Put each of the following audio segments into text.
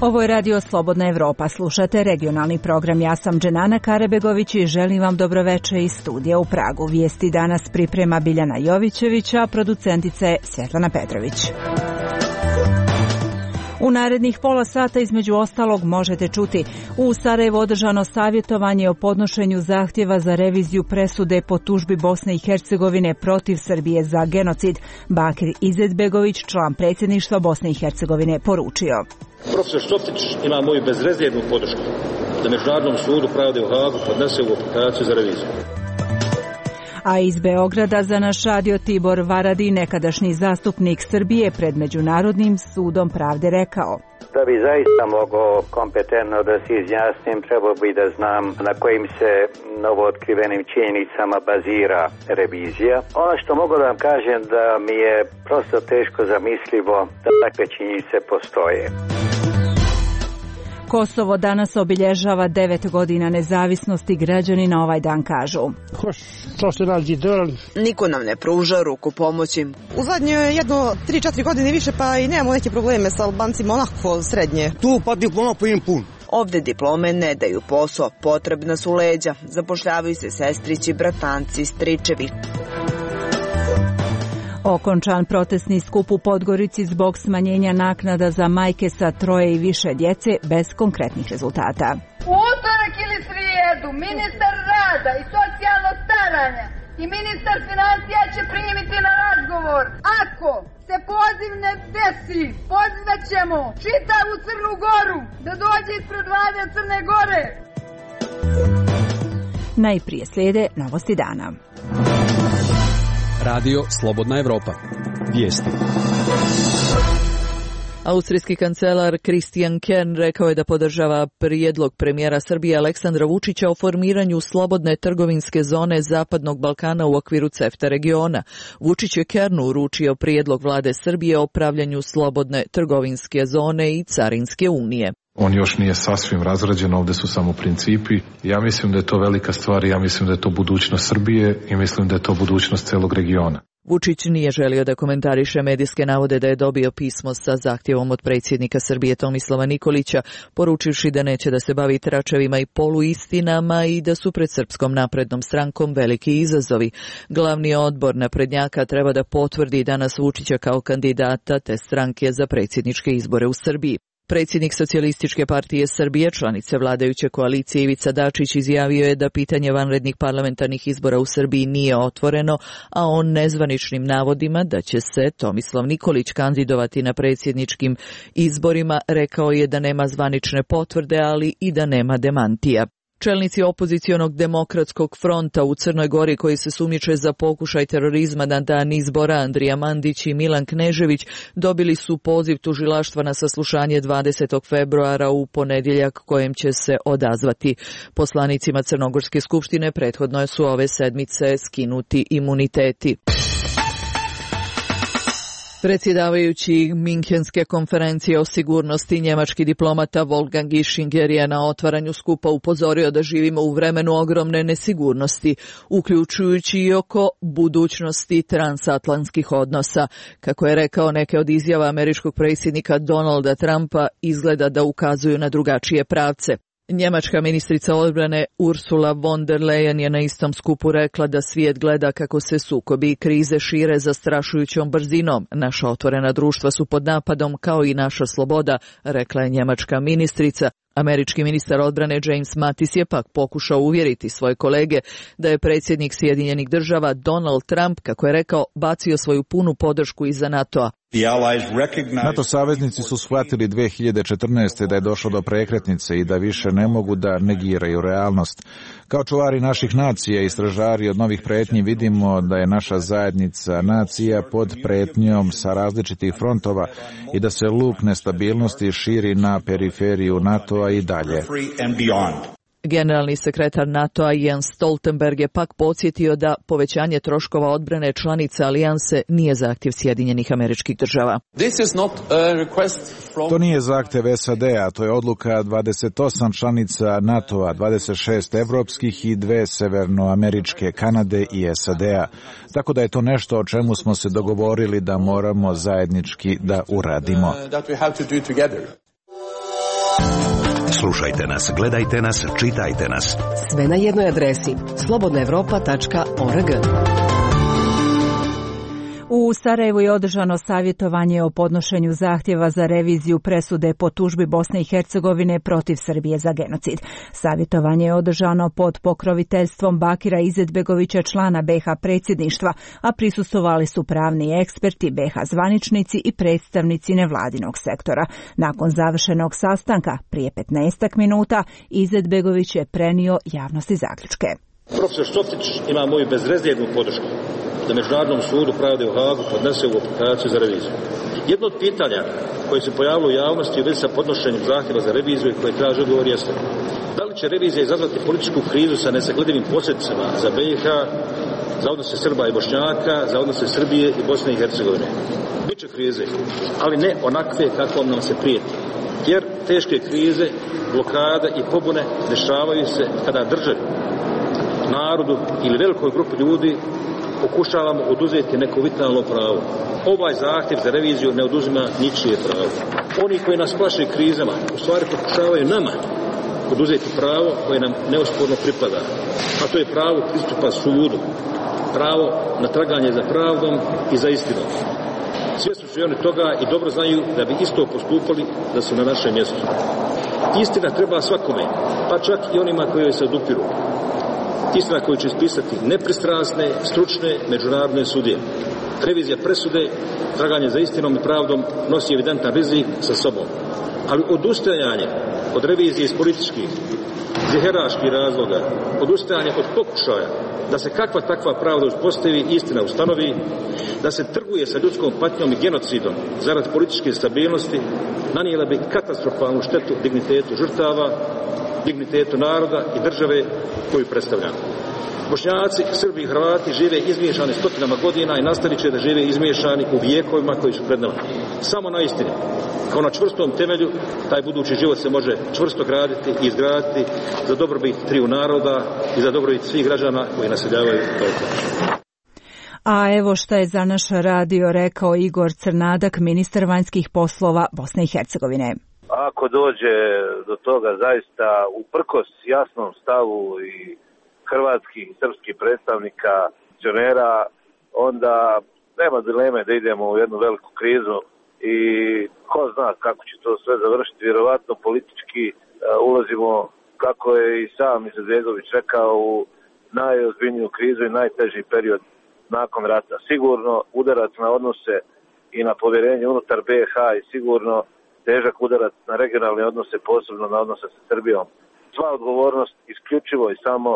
Ovo je Radio Slobodna Evropa. Slušate regionalni program. Ja sam Dženana Karebegović i želim vam dobroveče iz studija u Pragu. Vijesti danas priprema Biljana Jovićević, a producentica je Svjetlana Petrović. U narednih pola sata između ostalog možete čuti: u Sarajevu održano savjetovanje o podnošenju zahtjeva za reviziju presude po tužbi Bosne i Hercegovine protiv Srbije za genocid. Bakir Izetbegović, član predsjedništva Bosne i Hercegovine, poručio: Profesor Štopić ima moju bezrezervnu podršku da Međunarodnom sudu pravde u Hagu podnese ovu aplikaciju za reviziju. A iz Beograda za naš radio Tibor Varadi, nekadašnji zastupnik Srbije pred Međunarodnim sudom pravde, rekao: Da bi zaista mogao kompetentno da se izjasnim, trebao bi da znam na kojim se novootkrivenim činjenicama bazira revizija. Ono što mogu da vam kažem da mi je prosto teško zamislivo da takve činjenice postoje. Kosovo danas obilježava 9 godina nezavisnosti. Građani na ovaj dan kažu: Niko nam ne pruža ruku pomoći. U zadnje 3-4 godine više, pa i nemamo neke probleme sa Albancima, onako srednje. Tu pa diploma pojem pun. Ovde diplome ne daju posao, potrebna su leđa. Zapošljavaju se sestrići, bratanci, stričevi. Okončan protestni skup u Podgorici zbog smanjenja naknada za majke sa 3 i više djece bez konkretnih rezultata. U utorak ili srijedu ministar rada i socijalnog staranja i ministar financija će primiti na razgovor. Ako se poziv ne desi, pozvat ćemo čitavu Crnu Goru da dođe ispred vlade Crne Gore. Najprije slijede novosti dana. Radio Slobodna Evropa. Vijesti. Austrijski kancelar Christian Kern rekao je da podržava prijedlog premijera Srbije Aleksandra Vučića o formiranju slobodne trgovinske zone Zapadnog Balkana u okviru CEFTA regiona. Vučić je Kernu uručio prijedlog vlade Srbije o pravljanju slobodne trgovinske zone i carinske unije. On još nije sasvim razrađen, ovdje su samo principi. Ja mislim da je to velika stvar i ja mislim da je to budućnost Srbije i mislim da je to budućnost celog regiona. Vučić nije želio da komentariše medijske navode da je dobio pismo sa zahtjevom od predsjednika Srbije Tomislava Nikolića, poručivši da neće da se bavi tračevima i poluistinama i da su pred Srpskom naprednom strankom veliki izazovi. Glavni odbor naprednjaka treba da potvrdi danas Vučića kao kandidata te stranke za predsjedničke izbore u Srbiji. Predsjednik Socijalističke partije Srbije, članice vladajuće koalicije Ivica Dačić, izjavio je da pitanje vanrednih parlamentarnih izbora u Srbiji nije otvoreno, a on nezvaničnim navodima da će se Tomislav Nikolić kandidovati na predsjedničkim izborima rekao je da nema zvanične potvrde, ali i da nema demantija. Čelnici opozicionog demokratskog fronta u Crnoj Gori koji se sumnjiče za pokušaj terorizma na dan izbora, Andrija Mandić i Milan Knežević, dobili su poziv tužilaštva na saslušanje 20. februara u ponedjeljak kojem će se odazvati. Poslanicima Crnogorske skupštine prethodno su ove sedmice skinuti imuniteti. Predsjedavajući Minhenske konferencije o sigurnosti, njemački diplomata Wolfgang Ischinger je na otvaranju skupa upozorio da živimo u vremenu ogromne nesigurnosti, uključujući i oko budućnosti transatlantskih odnosa. Kako je rekao, neke od izjava američkog predsjednika Donalda Trumpa izgleda da ukazuju na drugačije pravce. Njemačka ministrica odbrane Ursula von der Leyen je na istom skupu rekla da svijet gleda kako se sukobi i krize šire zastrašujućom brzinom. Naša otvorena društva su pod napadom kao i naša sloboda, rekla je njemačka ministrica. Američki ministar odbrane James Mattis je pak pokušao uvjeriti svoje kolege da je predsjednik Sjedinjenih država Donald Trump, kako je rekao, bacio svoju punu podršku iza NATO-a. NATO saveznici su shvatili 2014. da je došlo do prekretnice i da više ne mogu da negiraju realnost. Kao čuvari naših nacija i stražari od novih pretnji vidimo da je naša zajednica nacija pod pretnjom sa različitih frontova i da se luk nestabilnosti širi na periferiju NATO-a i dalje. Generalni sekretar NATO-a Jens Stoltenberg je pak podsjetio da povećanje troškova odbrane članice alijanse nije zahtjev Sjedinjenih Američkih Država. To nije zahtjev SAD-a, to je odluka 28 članica NATO-a, 26 evropskih i 2 severnoameričke, Kanade i SAD-a. Tako da je to nešto o čemu smo se dogovorili da moramo zajednički da uradimo. Slušajte nas, gledajte nas, čitajte nas. Sve na jednoj adresi slobodnaevropa.org. U Sarajevu je održano savjetovanje o podnošenju zahtjeva za reviziju presude po tužbi Bosne i Hercegovine protiv Srbije za genocid. Savjetovanje je održano pod pokroviteljstvom Bakira Izetbegovića, člana BiH predsjedništva, a prisustvovali su pravni eksperti, BiH zvaničnici i predstavnici nevladinog sektora. Nakon završenog sastanka, prije 15 minuta, Izetbegović je prenio javnosti zaključke. Profesor Šoftić ima moju bezrezervnu podršku da Međunarodnom sudu pravde u Hagu podnese ovu aplikaciju za reviziju. Jedno od pitanja koje se pojavilo u javnosti u vezi sa podnošenjem zahtjeva za reviziju i koje traže odgovor jeste: da li će revizija izazvati političku krizu sa nesagledivim posljedicama za BiH, za odnose Srba i Bošnjaka, za odnose Srbije i Bosne i Hercegovine? Biće krize, ali ne onakve kakvom nam se prijeti. Jer teške krize, blokade i pobune dešavaju se kada državi, narodu ili velikoj grupi ljudi pokušavamo oduzeti neko vitalno pravo. Ovaj zahtjev za reviziju ne oduzima ničije pravo. Oni koji nas plaše krizama u stvari pokušavaju nama oduzeti pravo koje nam neosporno pripada, a to je pravo pristupa sudu, pravo na traganje za pravdom i za istinom. Svjesni su i oni toga i dobro znaju da bi isto postupali da su na našem mjestu. Istina treba svakome, pa čak i onima koji joj se odupiru. Istina koju će ispisati nepristrasne, stručne, međunarodne sudije. Revizija presude, traganje za istinom i pravdom nosi evidentan rizik sa sobom. Ali odustajanje od revizije iz političkih, ziheraških razloga, odustajanje od pokušaja da se kakva takva pravda uspostavi, istina ustanovi, da se trguje sa ljudskom patnjom i genocidom zarad političke stabilnosti, nanijela bi katastrofalnu štetu dignitetu žrtava, dignitetu naroda i države koju predstavljamo. Bošnjaci, Srbi i Hrvati žive izmiješani stotinama godina i nastavit će da žive izmiješani u vijekovima koji su pred nama. Samo na istini, kao na čvrstom temelju, taj budući život se može čvrsto graditi i izgraditi za dobrobit triju naroda i za dobrobit svih građana koji naseljavaju Balkan. A evo šta je za naš radio rekao Igor Crnadak, ministar vanjskih poslova Bosne i Hercegovine. Ako dođe do toga zaista uprkos jasnom stavu i hrvatskih i srpskih predstavnika, funkcionera, onda nema dileme da idemo u jednu veliku krizu i ko zna kako će to sve završiti. Vjerovatno politički ulazimo, kako je i sam Izetbegović rekao, u najozbiljniju krizu i najteži period nakon rata. Sigurno udarac na odnose i na povjerenje unutar BiH i sigurno težak udarac na regionalne odnose, posebno na odnose sa Srbijom. Sva odgovornost isključivo i samo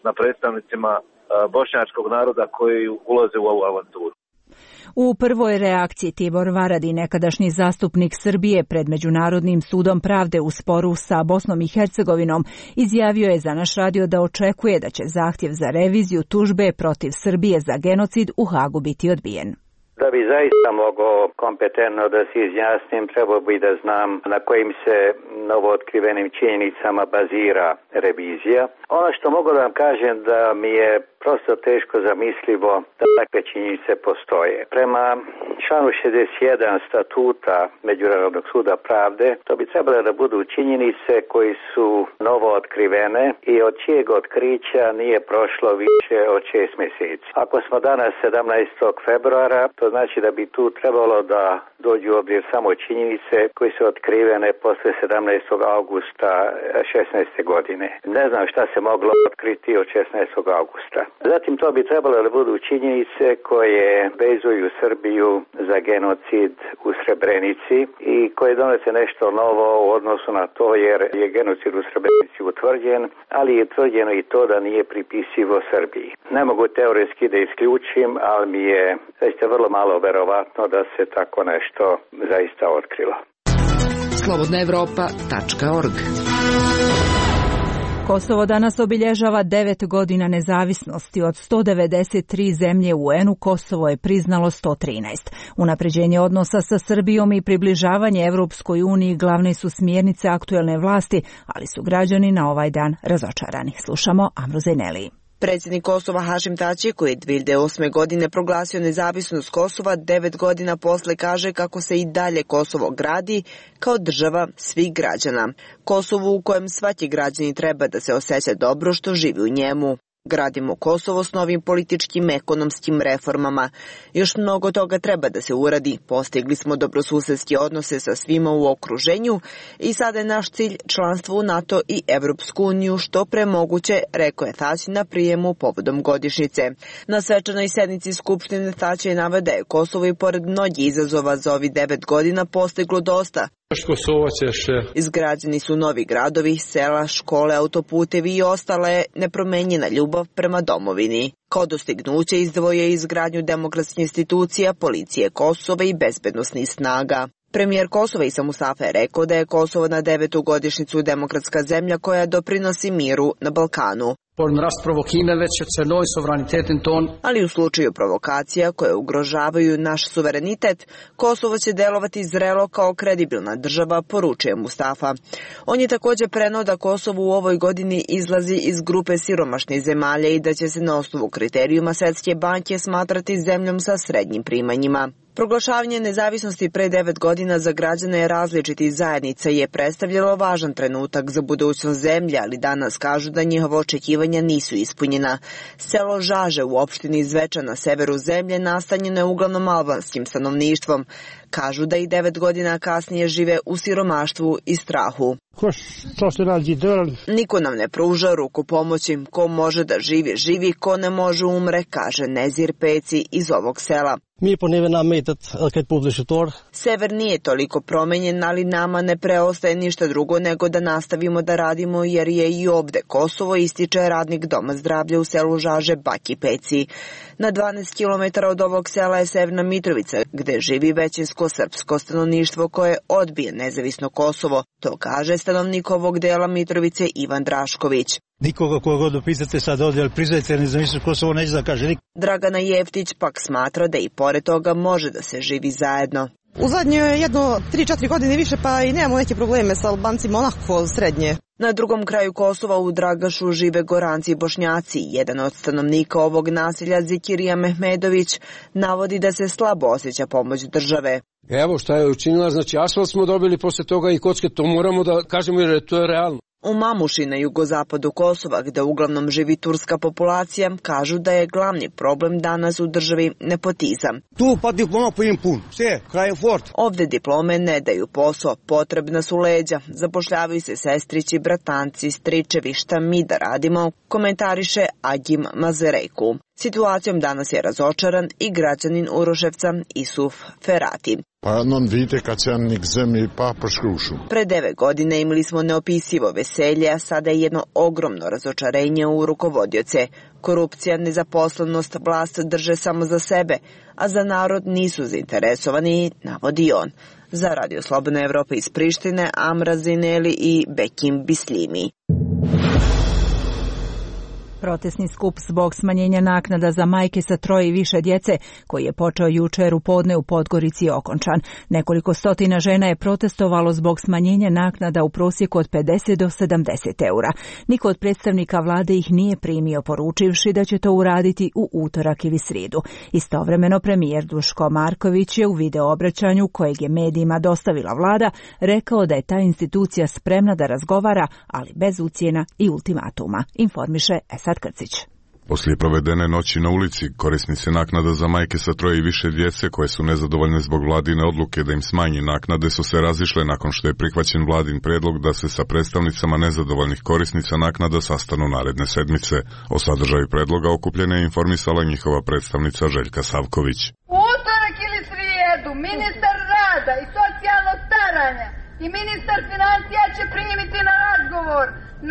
na predstavnicima bošnjačkog naroda koji ulaze u ovu avanturu. U prvoj reakciji Tibor Varadi, nekadašnji zastupnik Srbije pred Međunarodnim sudom pravde u sporu sa Bosnom i Hercegovinom, izjavio je za naš radio da očekuje da će zahtjev za reviziju tužbe protiv Srbije za genocid u Hagu biti odbijen. Da bi zaista mogao kompetentno da se izjasnim, trebao bi da znam na kojim se novootkrivenim činjenicama bazira revizija. Ono što mogu da vam kažem da mi je prosto teško zamislivo da takve činjenice postoje. Prema članu 61 statuta Međunarodnog suda pravde, to bi trebalo da budu činjenice koji su novo otkrivene i od čijeg otkrića nije prošlo više od 6 mjeseci. Ako smo danas 17. februara, to znači da bi tu trebalo da dođu u obzir samo činjenice koje su otkrivene posle 17. augusta 16. godine. Ne znam šta se moglo otkriti od 16. augusta. Zatim to bi trebalo da budu činjenice koje vezuju Srbiju za genocid u Srebrenici i koje donose nešto novo u odnosu na to, jer je genocid u Srebrenici utvrđen, ali je utvrđeno i to da nije pripisivo Srbiji. Ne mogu teoretski da isključim, ali mi je zaista vrlo malo verovatno da se tako nešto zaista otkrilo. slobodnaevropa.org. Kosovo danas obilježava 9 godina nezavisnosti. Od 193 zemlje u UN-u Kosovo je priznalo 113. Unapređenje odnosa sa Srbijom i približavanje Evropskoj uniji glavne su smjernice aktuelne vlasti, ali su građani na ovaj dan razočarani. Slušamo Amru Zejneli. Predsjednik Kosova Hašim Tači, koji je 2008. godine proglasio nezavisnost Kosova, 9 godina posle kaže kako se i dalje Kosovo gradi kao država svih građana. Kosovo u kojem svaki građanin treba da se osjeća dobro što živi u njemu. Gradimo Kosovo s novim političkim, ekonomskim reformama. Još mnogo toga treba da se uradi. Postigli smo dobrosusedske odnose sa svima u okruženju i sada je naš cilj članstvo u NATO i Evropsku uniju što pre moguće, rekao je Tači na prijemu povodom godišnjice. Na svečanoj sednici Skupštine Tači je naveo da je Kosovo i pored mnogih izazova za ovih 9 godina postiglo dosta. Izgrađeni su novi gradovi, sela, škole, autoputevi i ostala je nepromenjena ljubav prema domovini. Kao dostignuće izdvojio je izgradnju demokratskih institucija, policije Kosova i bezbednosnih snaga. Premijer Kosova Isa Mustafa je rekao da je Kosovo na 9. godišnjicu demokratska zemlja koja doprinosi miru na Balkanu. Ali u slučaju provokacija koje ugrožavaju naš suverenitet, Kosovo će delovati zrelo kao kredibilna država, poručuje Mustafa. On je također preneo da Kosovo u ovoj godini izlazi iz grupe siromašnih zemalja i da će se na osnovu kriterijuma Svetske banke smatrati zemljom sa srednjim primanjima. Proglašavanje nezavisnosti pre 9 godina za građane različitih zajednica je predstavljalo važan trenutak za budućnost zemlje, ali danas kažu da njihova očekivanja nisu ispunjena. Selo Žaže u opštini Zvečan na severu zemlje nastanjeno je uglavnom albanskim stanovništvom. Kažu da i 9 godina kasnije žive u siromaštvu i strahu. Niko nam ne pruža ruku pomoći. Ko može da živi, živi, ko ne može umre, kaže Nezir Peci iz ovog sela. Sever nije toliko promenjen, ali nama ne preostaje ništa drugo nego da nastavimo da radimo jer je i ovde Kosovo, ističe radnik Doma zdravlja u selu Žaže Baki Peci. Na 12 km od ovog sela je Severna Mitrovica, gde živi većinsko srpsko stanovništvo koje odbije nezavisno Kosovo. To kaže stanovnik ovog dela Mitrovice Ivan Drašković. Nikoga koga god opisate sad ovdje, ali priznajte nezavisnost Kosovo neće da kaže niko. Dragana Jeftić pak smatra da i pored toga može da se živi zajedno. U zadnje 3-4 godine više pa i nemamo neke probleme sa Albancima, onako srednje. Na drugom kraju Kosova u Dragašu žive Goranci i Bošnjaci. Jedan od stanovnika ovog naselja, Zikirija Mehmedović, navodi da se slabo osjeća pomoć države. Evo šta je učinila, znači asfalt smo dobili posle toga i kocke, to moramo da kažemo jer to je realno. U Mamuši na jugozapadu Kosova, gde uglavnom živi turska populacija, kažu da je glavni problem danas u državi nepotizam. Tu pa diploma po im pun, sve, kraj je fort. Ovde diplome ne daju posao, potrebna su leđa, zapošljavaju se sestrići, bratanci, stričevi, šta mi da radimo, komentariše Agim Mazerejku. Situacijom danas je razočaran i građanin Uroševca Isuf Ferati. Pa non vidite kad se nik zemlji pa proškrušu. Pre 9 godina imali smo neopisivo veselje, a sada je jedno ogromno razočarenje u rukovodioce. Korupcija, nezaposlenost, vlast drže samo za sebe, a za narod nisu zainteresovani, navodi on. Za Radio Slobodna Evropa iz Prištine, Amra Zineli i Bekim Bislimi. Protestni skup zbog smanjenja naknada za majke sa 3 i više djece, koji je počeo jučer u podne u Podgorici, je okončan. Nekoliko stotina žena je protestovalo zbog smanjenja naknada u prosjeku od 50 do 70 eura. Niko od predstavnika vlade ih nije primio, poručivši da će to uraditi u utorak ili srijedu. Istovremeno premijer Duško Marković je u video obraćanju kojeg je medijima dostavila vlada rekao da je ta institucija spremna da razgovara, ali bez ucjena i ultimatuma, informiše Esad Krcić. Poslije provedene noći na ulici, korisnici naknada za majke sa 3 i više djece koje su nezadovoljne zbog vladine odluke da im smanji naknade su se razišle nakon što je prihvaćen vladin predlog da se sa predstavnicama nezadovoljnih korisnica naknada sastanu naredne sedmice. O sadržaju predloga okupljene je informisala njihova predstavnica Željka Savković. U utorak ili srijedu ministar rada i socijalnog staranja i ministar financija će primiti na razgovor.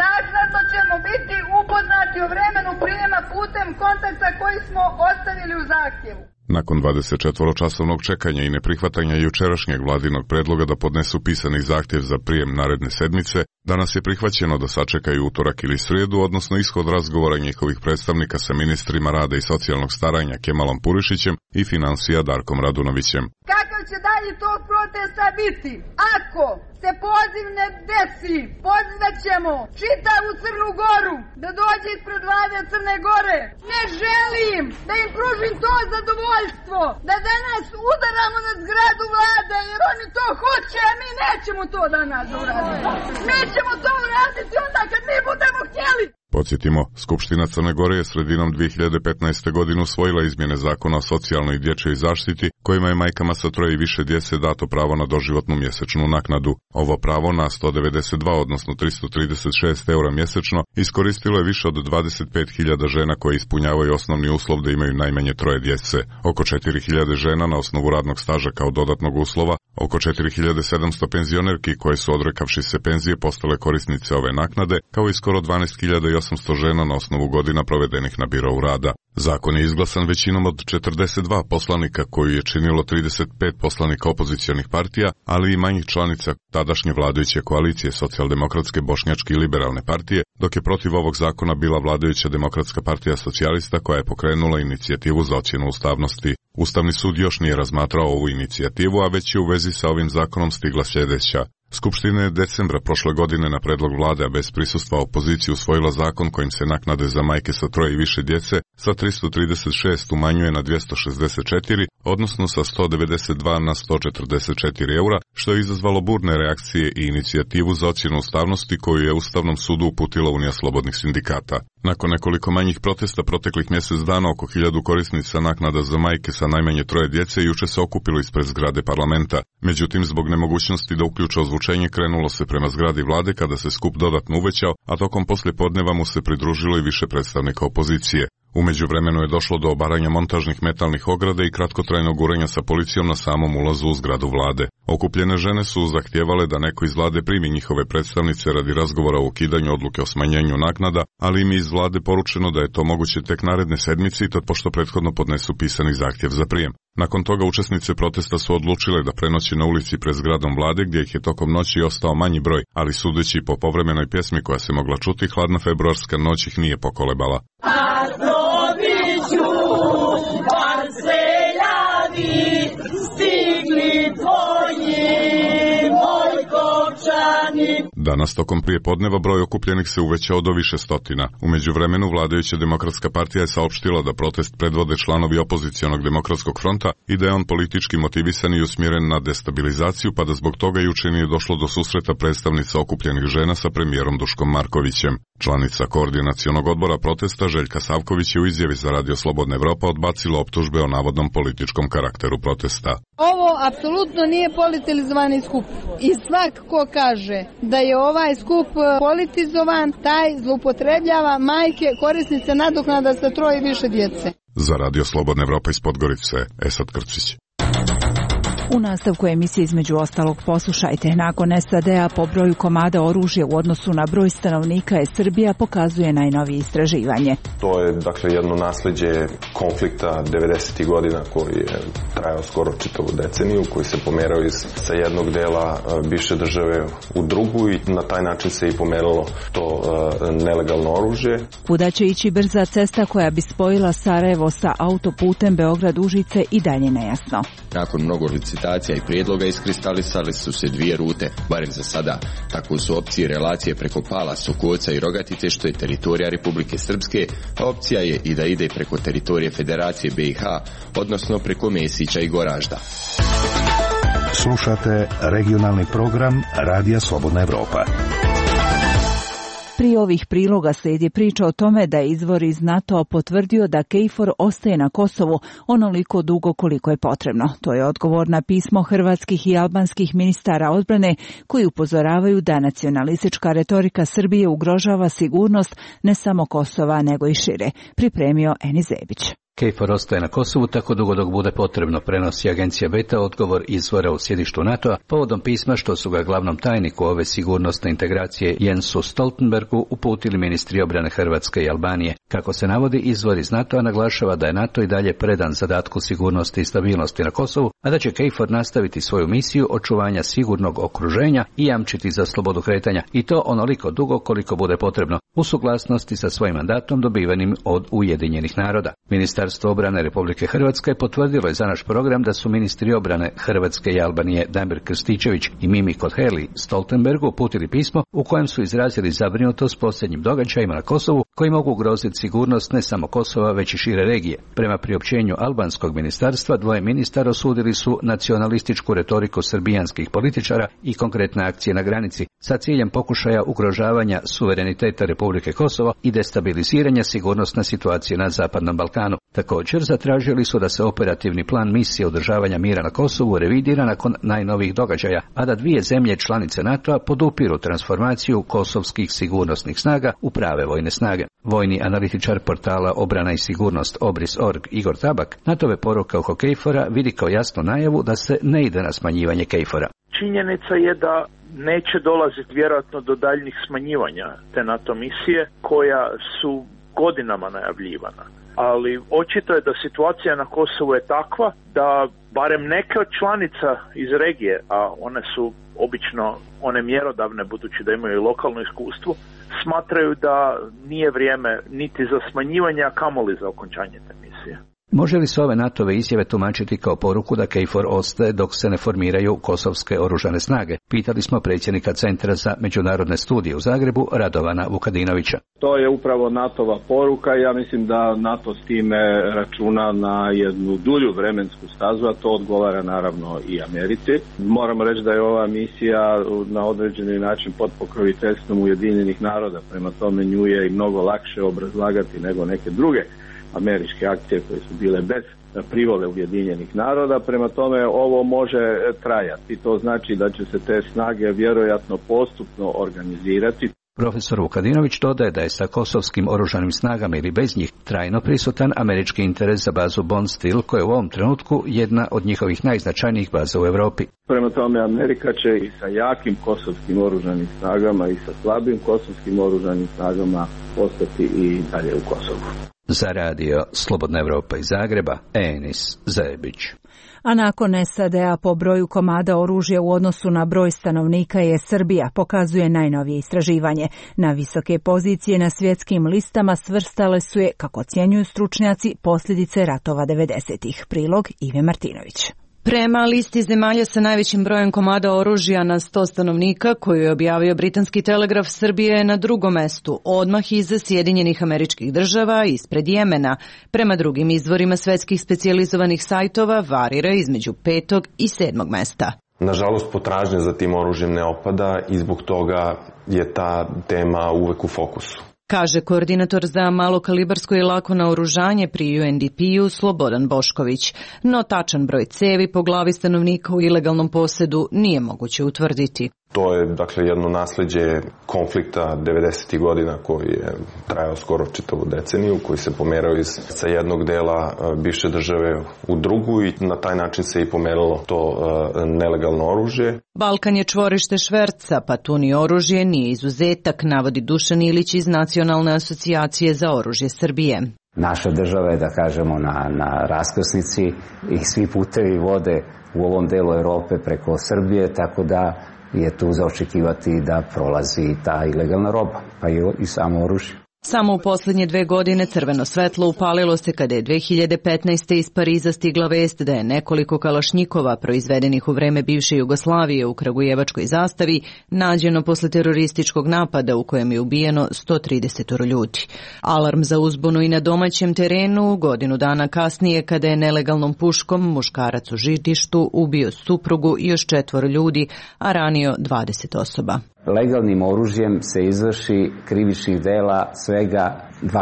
Naknadno ćemo biti upoznati o vremenu prijema putem kontakta koji smo ostavili u zahtjevu. Nakon 24-časovnog čekanja i neprihvatanja jučerašnjeg vladinog predloga da podnesu pisani zahtjev za prijem naredne sedmice, danas je prihvaćeno da sačekaju utorak ili srijedu, odnosno ishod razgovora njihovih predstavnika sa ministrima rada i socijalnog staranja Kemalom Purišićem i financija Darkom Radunovićem. Kakav će dalje tog protesta biti. Ako se poziv ne desi, pozivat ćemo čitavu Crnu Goru da dođe ispred vlade Crne Gore. Ne želim da im pružim to zadovoljstvo da danas udaramo na zgradu vlade, jer oni to hoće, a mi nećemo to danas uraditi. Mi ćemo to uraditi onda kad mi budemo htjeli. Podsjetimo, Skupština Crne Gore je sredinom 2015. godine usvojila izmjene zakona o socijalnoj i dječjoj zaštiti, kojima je majkama sa 3 i više djece dato pravo na doživotnu mjesečnu naknadu. Ovo pravo na 192, odnosno 336 eura mjesečno, iskoristilo je više od 25.000 žena koje ispunjavaju osnovni uslov da imaju najmanje 3 djece, oko 4.000 žena na osnovu radnog staža kao dodatnog uslova, oko 4.700 penzionerki koje su odrekavši se penzije postale korisnice ove naknade, kao i skoro 12.800 žena na osnovu godina provedenih na birou rada. Zakon je izglasan većinom od 42 poslanika koju je činilo 35 poslanika opozicionih partija, ali i manjih članica tadašnje vladajuće koalicije Socijaldemokratske, Bošnjačke i Liberalne partije, dok je protiv ovog zakona bila vladajuća Demokratska partija socijalista koja je pokrenula inicijativu za ocjenu ustavnosti. Ustavni sud još nije razmatrao ovu inicijativu, a već je u vezi sa ovim zakonom stigla sljedeća. Skupština je decembra prošle godine na predlog vlade, a bez prisustva opozicije, usvojila zakon kojim se naknade za majke sa 3 i više djece sa 336 umanjuje na 264, odnosno sa 192 na 144 eura, što je izazvalo burne reakcije i inicijativu za ocjenu ustavnosti koju je Ustavnom sudu uputila Unija slobodnih sindikata. Nakon nekoliko manjih protesta proteklih mjesec dana, oko 1000 korisnica naknada za majke sa najmanje 3 djece juče se okupilo ispred zgrade parlamenta. Međutim, zbog nemogućnosti da uključe ozvučenje, krenulo se prema zgradi vlade kada se skup dodatno uvećao, a tokom poslijepodneva mu se pridružilo i više predstavnika opozicije. U međuvremenu je došlo do obaranja montažnih metalnih ograda i kratkotrajnog gurenja sa policijom na samom ulazu u zgradu vlade. Okupljene žene su zahtijevale da neko iz vlade primi njihove predstavnice radi razgovora o ukidanju odluke o smanjenju naknada, ali im je iz vlade poručeno da je to moguće tek naredne sedmice i to pošto prethodno podnesu pisani zahtjev za prijem. Nakon toga učesnice protesta su odlučile da prenoći na ulici pred zgradom vlade, gdje ih je tokom noći ostao manji broj, ali sudeći po povremenoj pjesmi koja se mogla čuti, hladna februarska noć ih nije pokolebala. Danas tokom prijepodneva broj okupljenih se uvećao do više stotina. U međuvremenu vladajuća Demokratska partija je saopštila da protest predvode članovi opozicionog Demokratskog fronta i da je on politički motivisan i usmjeren na destabilizaciju, pa da zbog toga juče nije došlo do susreta predstavnica okupljenih žena sa premijerom Duškom Markovićem. Članica koordinacionog odbora protesta Željka Savković je u izjavi za Radio Slobodna Evropa odbacila optužbe o navodnom političkom karakteru protesta. Ovo apsolutno nije politizovani skup i svak ko kaže da je ovaj skup politizovan, taj zloupotrebljava majke korisnice nadoknada sa 3 i više djece. Za Radio Slobodna Evropa iz Podgorice, Esad Krcić. U nastavku emisije između ostalog poslušajte. Nakon SAD-a po broju komada oružja u odnosu na broj stanovnika je Srbija pokazuje najnovije istraživanje. To je dakle jedno nasljeđe konflikta 90. godina koji je trajao skoro čitavu deceniju, koji se pomerao sa jednog dela bivše države u drugu i na taj način se i pomeralo to nelegalno oružje. Kuda će ići brza cesta koja bi spojila Sarajevo sa autoputem Beograd-Užice i dalje nejasno. Nakon mnogo licitacija i prijedloga iskristalisali su se 2 rute, barem za sada. Tako su opcije relacije preko Pala, Sokoca i Rogatice, što je teritorija Republike Srpske, a opcija je i da ide preko teritorije Federacije BiH, odnosno preko Mesića i Goražda. Slušate regionalni program Radija Slobodna Evropa. Prije ovih priloga slijedi priča o tome da je izvor iz NATO potvrdio da KFOR ostaje na Kosovu onoliko dugo koliko je potrebno. To je odgovor na pismo hrvatskih i albanskih ministara odbrane koji upozoravaju da nacionalistička retorika Srbije ugrožava sigurnost ne samo Kosova nego i šire. Pripremio Eni Zebić. KFOR ostaje na Kosovu tako dugo dok bude potrebno, prenosi agencija Beta odgovor izvora u sjedištu NATO-a povodom pisma što su ga glavnom tajniku ove sigurnosne integracije Jensu Stoltenbergu uputili ministri obrane Hrvatske i Albanije. Kako se navodi, izvor iz NATO-a naglašava da je NATO i dalje predan zadatku sigurnosti i stabilnosti na Kosovu, a da će KFOR nastaviti svoju misiju očuvanja sigurnog okruženja i jamčiti za slobodu kretanja, i to onoliko dugo koliko bude potrebno, u suglasnosti sa svojim mandatom dobivenim od Ujedinjenih naroda. Ministarstvo Ministarstvo obrane Republike Hrvatske potvrdilo je za naš program da su ministri obrane Hrvatske i Albanije Damir Krstičević i Mimi Koheli Stoltenbergu uputili pismo u kojem su izrazili zabrinutost posljednjim događajima na Kosovu koji mogu ugroziti sigurnost ne samo Kosova već i šire regije. Prema priopćenju albanskog ministarstva, dvoje ministara osudili su nacionalističku retoriku srbijanskih političara i konkretne akcije na granici sa ciljem pokušaja ugrožavanja suvereniteta Republike Kosovo i destabiliziranja sigurnosne situacije na Zapadnom Balkanu. Također zatražili su da se operativni plan misije održavanja mira na Kosovu revidira nakon najnovijih događaja, a da dvije zemlje članice NATO-a podupiru transformaciju kosovskih sigurnosnih snaga u prave vojne snage. Vojni analitičar portala Obrana i sigurnost Obris.org Igor Tabak NATO-ve poruke oko KFOR-a vidi kao jasnu najavu da se ne ide na smanjivanje KFOR-a. Činjenica je da neće dolaziti vjerojatno do daljnjih smanjivanja te NATO misije koja su godinama najavljivana. Ali očito je da situacija na Kosovu je takva da barem neke od članica iz regije, a one su obično one mjerodavne budući da imaju i lokalno iskustvo, smatraju da nije vrijeme niti za smanjivanje, a kamoli za okončanje te misije. Može li se ove NATO-ve izjave tumačiti kao poruku da KFOR ostaje dok se ne formiraju kosovske oružane snage? Pitali smo predsjednika Centra za međunarodne studije u Zagrebu, Radovana Vukadinovića. To je upravo NATO-va poruka i ja mislim da NATO s time računa na jednu dulju vremensku stazu, a to odgovara naravno i Americi. Moramo reći da je ova misija na određeni način pod pokroviteljstvom Ujedinjenih naroda, prema tome nju je i mnogo lakše obrazlagati nego neke druge američke akcije koje su bile bez privole Ujedinjenih naroda, prema tome ovo može trajati. To znači da će se te snage vjerojatno postupno organizirati. Profesor Vukadinović dodaje da je sa kosovskim oružanim snagama ili bez njih trajno prisutan američki interes za bazu Bondsteel, koja je u ovom trenutku jedna od njihovih najznačajnijih baza u Europi. Prema tome Amerika će i sa jakim kosovskim oružanim snagama i sa slabim kosovskim oružanim snagama ostati i dalje u Kosovu. Za radio Slobodna Evropa iz Zagreba, Enis Zebić. A nakon SAD-a po broju komada oružja u odnosu na broj stanovnika je Srbija, pokazuje najnovije istraživanje. Na visoke pozicije na svjetskim listama svrstale su je, kako ocjenjuju stručnjaci, posljedice ratova 90-ih. Prilog Ive Martinović. Prema listi zemalja sa najvećim brojem komada oružja na 100 stanovnika, koju je objavio britanski telegraf, Srbija je na drugom mestu, odmah iza Sjedinjenih Američkih Država, ispred Jemena. Prema drugim izvorima svetskih specijalizovanih sajtova varira između 5. i 7. mesta. Nažalost, potražnja za tim oružjem ne opada i zbog toga je ta tema uvek u fokusu, kaže koordinator za malokalibarsko i lako naoružanje pri UNDP-u Slobodan Bošković. No tačan broj cevi po glavi stanovnika u ilegalnom posjedu nije moguće utvrditi. To je dakle jedno nasljeđe konflikta 90. godina koji je trajao skoro čitavu deceniju, koji se pomerao sa jednog dela bivše države u drugu i na taj način se i pomeralo to nelegalno oružje. Balkan je čvorište šverca, pa tu ni oružje nije izuzetak, navodi Dušan Ilić iz Nacionalne asocijacije za oružje Srbije. Naša država je, da kažemo, na raskrsnici i svi putevi vode u ovom delu Europe preko Srbije, tako da je tu za očekivati da prolazi ta ilegalna roba, pa i samo oružje. Samo u posljednje 2 godine crveno svetlo upalilo se kada je 2015. iz Pariza stigla vest da je nekoliko kalašnjikova proizvedenih u vreme bivše Jugoslavije u kragujevačkoj zastavi nađeno posle terorističkog napada u kojem je ubijeno 130 ljudi. Alarm za uzbunu i na domaćem terenu godinu dana kasnije kada je nelegalnom puškom muškarac u Žitištu ubio suprugu i još 4 ljudi, a ranio 20 osoba. Legalnim oružjem se izvrši krivičnih dela svega 2%.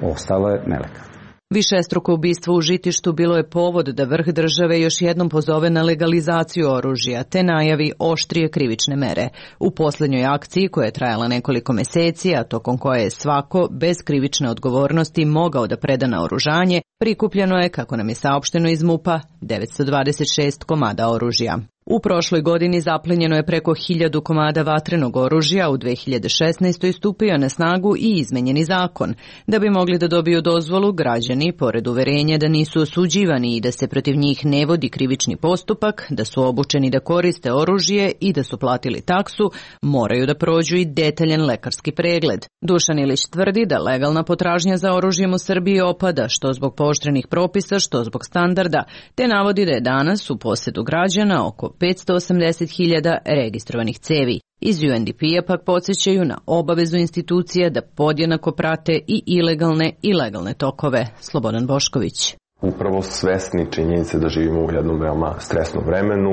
Ostalo je nelegalno. Višestruko ubistvo u Žitištu bilo je povod da vrh države još jednom pozove na legalizaciju oružja te najavi oštrije krivične mere. U posljednjoj akciji, koja je trajala nekoliko meseci, a tokom koje je svako bez krivične odgovornosti mogao da preda naoružanje, prikupljeno je, kako nam je saopšteno iz MUP-a, 926 komada oružja. U prošloj godini zaplenjeno je preko 1000 komada vatrenog oružja, u 2016. stupio na snagu i izmenjeni zakon. Da bi mogli da dobiju dozvolu, građani, pored uverenja da nisu osuđivani i da se protiv njih ne vodi krivični postupak, da su obučeni da koriste oružje i da su platili taksu, moraju da prođu i detaljan lekarski pregled. Dušan Ilić tvrdi da legalna potražnja za oružjem u Srbiji opada, što zbog pooštrenih propisa, što zbog standarda, te navodi da je danas u posedu građana oko 580.000 registrovanih cevi. Iz UNDP-a pak podsjećaju na obavezu institucija da podjednako prate i ilegalne i legalne tokove. Slobodan Bošković. Upravo svesni činjenice da živimo u jednom veoma stresnom vremenu,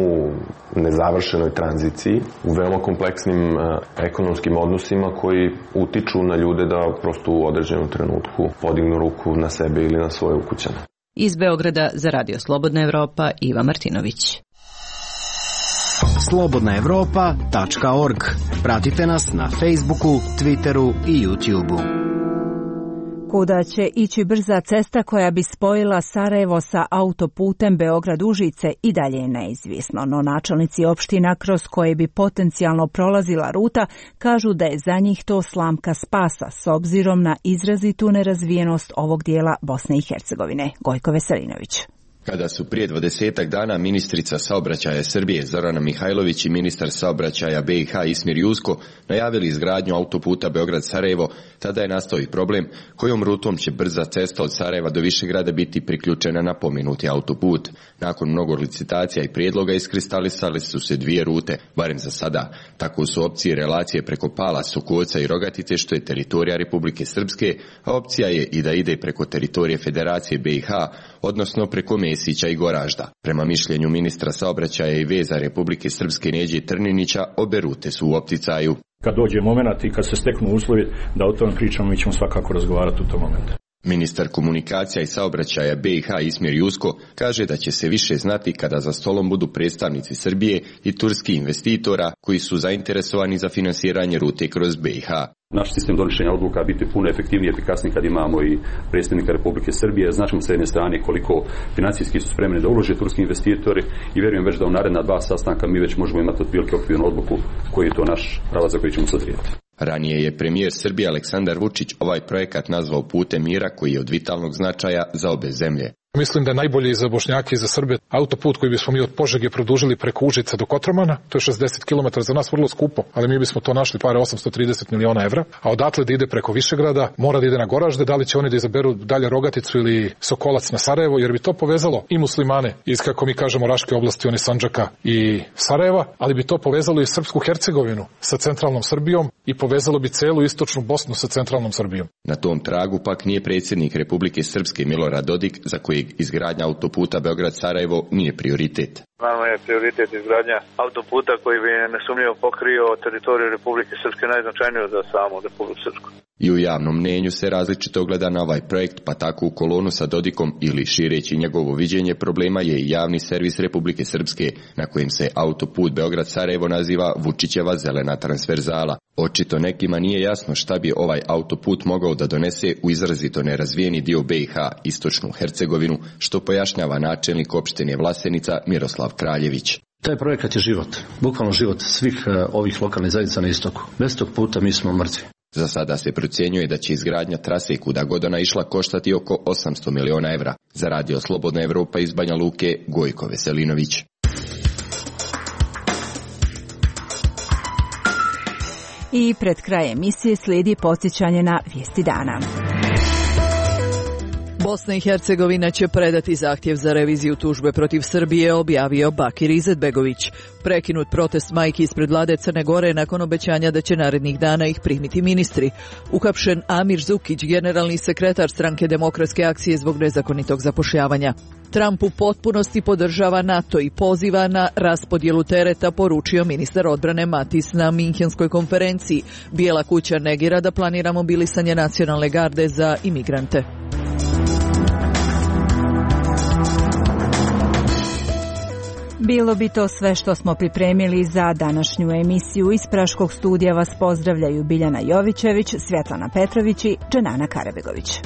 u nezavršenoj tranziciji, u veoma kompleksnim ekonomskim odnosima koji utiču na ljude da prosto u određenom trenutku podignu ruku na sebe ili na svoje ukućane. Iz Beograda za Radio Slobodna Evropa, Iva Martinović. slobodnaevropa.org. Pratite nas na Facebooku, Twitteru i YouTubeu. Kuda će ići brza cesta koja bi spojila Sarajevo sa autoputem Beograd-Užice i dalje je neizvisno, no načelnici opština kroz koje bi potencijalno prolazila ruta kažu da je za njih to slamka spasa s obzirom na izrazitu nerazvijenost ovog dijela Bosne i Hercegovine. Gojko Veselinović. Kada su prije 20 dana ministrica saobraćaja Srbije Zorana Mihajlović i ministar saobraćaja BiH Ismir Jusko najavili izgradnju autoputa Beograd-Sarajevo, tada je nastao i problem kojom rutom će brza cesta od Sarajeva do Višegrada biti priključena na pomenuti autoput. Nakon mnogo licitacija i prijedloga iskristalisali su se dvije rute, barem za sada. Tako su opcije relacije preko Pala, Sokoca i Rogatice, što je teritorija Republike Srpske, a opcija je i da ide preko teritorije Federacije BiH, odnosno preko Mesića i Goražda. Prema mišljenju ministra saobraćaja i veza Republike Srpske Neđe Trninića, obe rute su u opticaju. Kad dođe moment i kad se steknu uslovi da o tome pričamo, mi ćemo svakako razgovarati u tom momentu. Ministar komunikacija i saobraćaja BiH Ismir Jusko kaže da će se više znati kada za stolom budu predstavnici Srbije i turskih investitora koji su zainteresovani za finansiranje rute kroz BiH. Naš sistem donošenja odluka biti puno efektivniji i efikasniji kad imamo i predstavnika Republike Srbije. Značimo s jedne strane koliko financijski su spremni da ulože turski investitori i vjerujem već da u naredna 2 sastanka mi već možemo imati otprilike okvirnu odluku koji je to naš pravac za koji ćemo se odrediti. Ranije je premijer Srbije Aleksandar Vučić ovaj projekat nazvao putem mira koji je od vitalnog značaja za obe zemlje. Mislim da je najbolje i za Bošnjake i za Srbe autoput koji bismo mi od Požege produžili preko Užica do Kotromana. To je 60 km, za nas vrlo skupo, ali mi bismo to našli pare 830 miliona evra. A odatle da ide preko Višegrada, mora da ide na Goražde, da li će oni da izaberu dalje Rogaticu ili Sokolac na Sarajevo, jer bi to povezalo i muslimane iz, kako mi kažemo, Raške oblasti, oni Sandžaka i Sarajeva, ali bi to povezalo i Srpsku Hercegovinu sa centralnom Srbijom i povezalo bi celu istočnu Bosnu sa centralnom Srbijom. Na tom tragu pak nije predsjednik Republike Srpske Milorad Dodik, za kojeg izgradnja autoputa Beograd-Sarajevo nije prioritet. Nama je prioritet izgradnja autoputa koji bi nesumnjivo pokrio teritoriju Republike Srpske, najznačajniju za samu Republiku Srpsku. I u javnom mnenju se različito gleda na ovaj projekt, pa tako u kolonu sa Dodikom ili šireći njegovo viđenje problema je i javni servis Republike Srpske, na kojem se autoput Beograd-Sarajevo naziva Vučićeva zelena transverzala. Očito nekima nije jasno šta bi ovaj autoput mogao da donese u izrazito nerazvijeni dio BiH, istočnu Hercegovinu, što pojašnjava načelnik opštine Vlasenica Miroslav Kraljević. Taj projekat je život, bukvalno život svih ovih lokalnih zajednica na istoku. Bez tog puta mi smo mrtvi. Za sada se procjenjuje da će izgradnja trase kuda god ona išla koštati oko 800 miliona evra. Za Radio Slobodna Evropa iz Banja Luke, Gojko Veselinović. I pred kraj emisije slijedi podsjećanje na vijesti dana. Bosna i Hercegovina će predati zahtjev za reviziju tužbe protiv Srbije, objavio Bakir Izetbegović. Prekinut protest majki ispred vlade Crne Gore nakon obećanja da će narednih dana ih primiti ministri. Uhapšen Amir Zukić, generalni sekretar stranke Demokratske akcije zbog nezakonitog zapošljavanja. Trump u potpunosti podržava NATO i poziva na raspodjelu tereta, poručio ministar odbrane Matis na Minhenskoj konferenciji. Bijela kuća negira da planira mobilisanje nacionalne garde za imigrante. Bilo bi to sve što smo pripremili za današnju emisiju. Iz Praškog studija vas pozdravljaju Biljana Jovićević, Svjetlana Petrović i Dženana Karabegović.